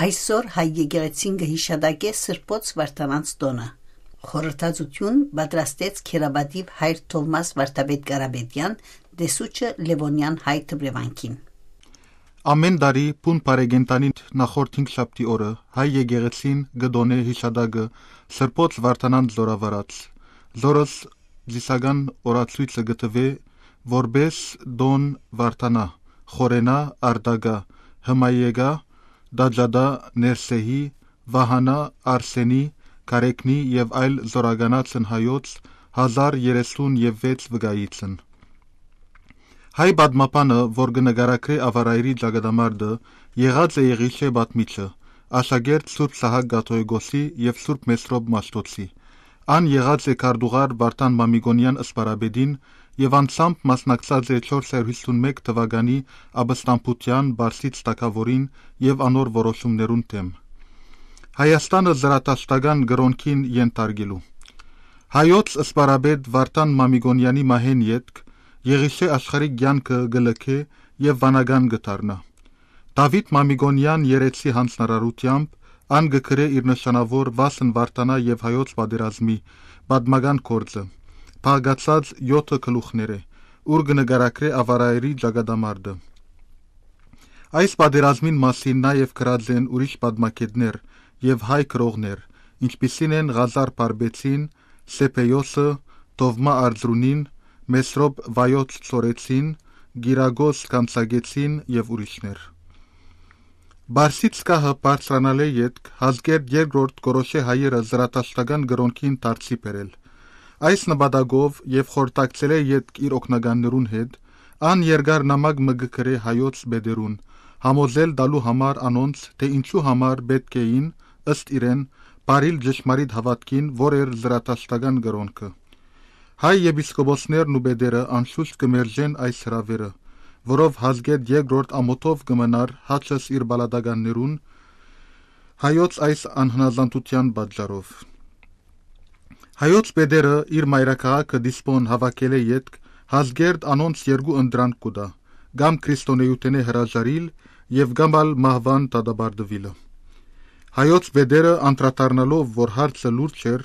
Այսօր հայ եկեղեցին կհիշադակե Սրբոց Վարդանանց տոնը։ Խորհրդածություն պատրաստեց Քերաբադիվ հայր Թովմաս Վարդապետ Կարապետյան դեսուչը Լևոնյան հայ թմրևանքին։ Ամեն տարի Պուն Պարեգենտանի նախորդ 5 շաբթի օրը հայ եկեղեցին գդոնե հիշադակը Սրբոց Վարդանանց զորավարած։ Զորս զիսական օրացույցը գտվե որբես դոն Վարդանա, Խորենա, Արդագա, Հմայեգա, Դաջադա, Ներսեհի, Վահանա, Արսենի, Կարեկնի և այլ զորագանացն հայոց 1036 վգայիցն։ Հայ բադմապանը, որ գնգարակրե ավարայրի ճագադամարդը, եղած է Եղիշե բատմիչը, աշագերտ Սուրբ Սահակ Գաթոյգոսի և Սուրբ Մեսրոբ Մաշտոցի, ան եղած է Կարդուղար Վարդան Մամիգոնյան ըսպարաբեդին և անցամբ մասնակցած է 451 թվականի աբստամբության Բարսից տակավորին և անոր որոշումներուն թեմ։ Հայաստանը զրատաշտական գրոնքին ենթարկելու։ Հայոց ըսպարաբեդ Վարդան Մամիգոնյանի մահեն ետք Եղիշե աշխարհիկ կյանքը գլքե և վանական գտարնա։ Դավիթ Մամիգոնյան երեցի հանձնարարությամբ ան գկրե իր նշանավոր Վասն Վարդանա և հայոց պատերազմի պատմական գործը, փաղկացած 7 գլուխները, ուր կնկարագրե ավարայրի ճակատամարտը։ Այս պատերազմին մասին նաև գրած են ուրիշ պատմակետներ և հայ գրողներ, ինչպիսին են Ղազար Պարբեցին, Սեփեյոսը, Տովմա Արձրունին, Մեսրոբ Վայոց Ծորեցին, Գիրագոս Կանցագեցին և ուրիշներ։ Բարսից կահը բարձրանալե ետք Հազգերտ երկրորդ գորոշե հայերը զրատաշտական գրոնքին դարձի բերել։ Այս նպատակով և խորտակցել է ետք իր օգնականներուն հետ, ան երկար նամակ մգկրե հայոց բեդերուն, համոզել տալու համար անոնց, թե ինչու համար պետք էին, ըստ իրեն, բարիլ ճշմարիտ հավատքին, որ էր զրատաշտական գրոնքը։ Հայ եպիսկոպոսներն ու բեդերը անշուշտ կմերժեն այս հրավերը, որով Հազգերտ երկրորդ ամոթով կմնար հաճս իր բալադականներուն հայոց այս անհնազանդության պատճառով։ Հայոց բեդերը իր մայրաքաղաքը դիսպոն հավաքել է ետք Հազգերտ անոնց երկու ընդրանք կուտա, կամ քրիստոնեութենե հրաժարիլ և կամ ալ մահվան դատապարտվիլը։ Հայոց բեդերը անդրադառնալով, որ հարցը լուրջ էր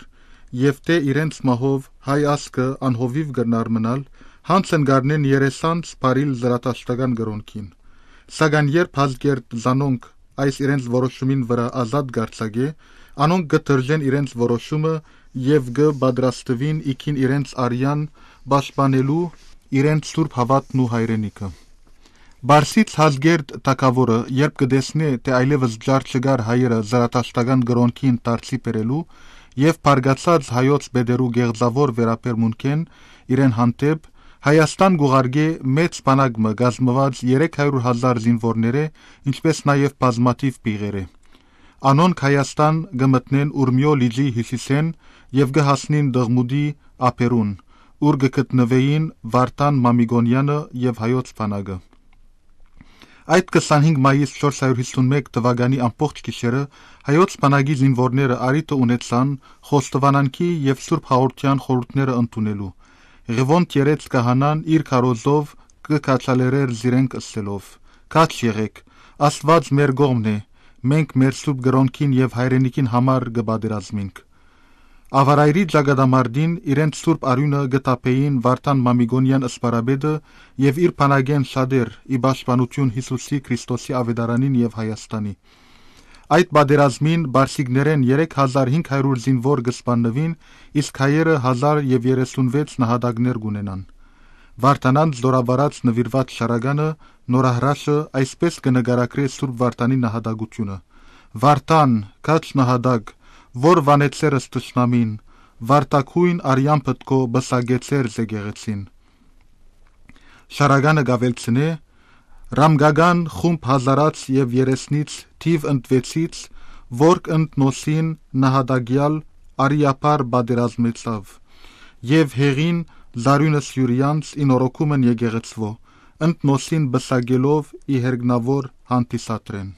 և թե իրենց մահով հայ ազգը անհովիվ կրնար մնալ, հանց ընկարնեն երեսանց բարիլ զրատաշտական գրոնքին։ Սակայն երբ Հազգերտ զանոնք այս իրենց որոշումին վրա ազատ գարցագե, անոնք կդրժեն իրենց որոշումը և կպատրաստվին իքին իրենց արյան պաշտպանելու իրենց սուրբ հավատն ու հայրենիքը։ Բարսից Հազգերտ թագավորը, երբ կտեսնե, թե այլևս ջար չկար հայերը զրատաշտական գրոնքին դարձի բերելու և բարգացած հայոց բեդերու գեղձավոր վերաբերմունքեն իրեն հանդեպ, Հայաստան գուղարկե մեծ բանակը կազմված 300,000 զինվորները, ինչպես նաև բազմաթիվ պիղերը։ Անոնք Հայաստան կմտնեն Ուրմիո լիճի հյուսիսեն և կհասնին Դղմուդի ափերուն, ուր կգտնվեին Վարդան Մամիգոնյանը և հայոց բանակը։ Այդ 25 մայիս 451 թվականի ամբողջ գիշերը հայոց բանակի զինվորները արիթը ունեցան Խոստովանանքի և Սուրբ Հաղորդության խորհուրդները ընդունելու։ Ղևոնդ երեց կահանան իր քարոզով կքաչալերեր զիրենք ըսելով. «Քաչ եղեք, Աստված մեր կողմն է, մենք մեր սուրբ գրոնքին և հայրենիքին համար կպատերազմենք»։ Ավարայրի ճակատամարտին իրենց սուրբ արյունը գտապեին Վարդան Մամիգոնյան ըսպարաբեդը և իր բանակեն շատեր ի պաշտպանություն Հիսուսի Քրիստոսի ավետարանին և Հայաստանի։ Այդ պատերազմին բարսիկներեն 3500 զինվոր կսպանվին, իսկ հայերը 1036 նահատակներ կունենան։ Վարդանանց զորավարած նվիրված շարականը նորահրաշը այսպես կնկարագրե Սուրբ Վարդանի նահատակությունը. «Վարդան, քաչ նահատակ, որ վանեցերս թշնամին, վարդակույն արյան պտկո բսագեցեր զեկեղեցին»։ Շարականը գավելցնե Ռամգական խումբ հազարած և երեսնից թիվ ընդվեցից, որ ընդ նոսին նահատակյալ արիապար պատերազմեցավ, և հեղին զարյունը Սյուրյանց ինորոքումն եկեղեցվո, ընդ նոսին բսագելով ի հերգնավոր հանդիսատրեն։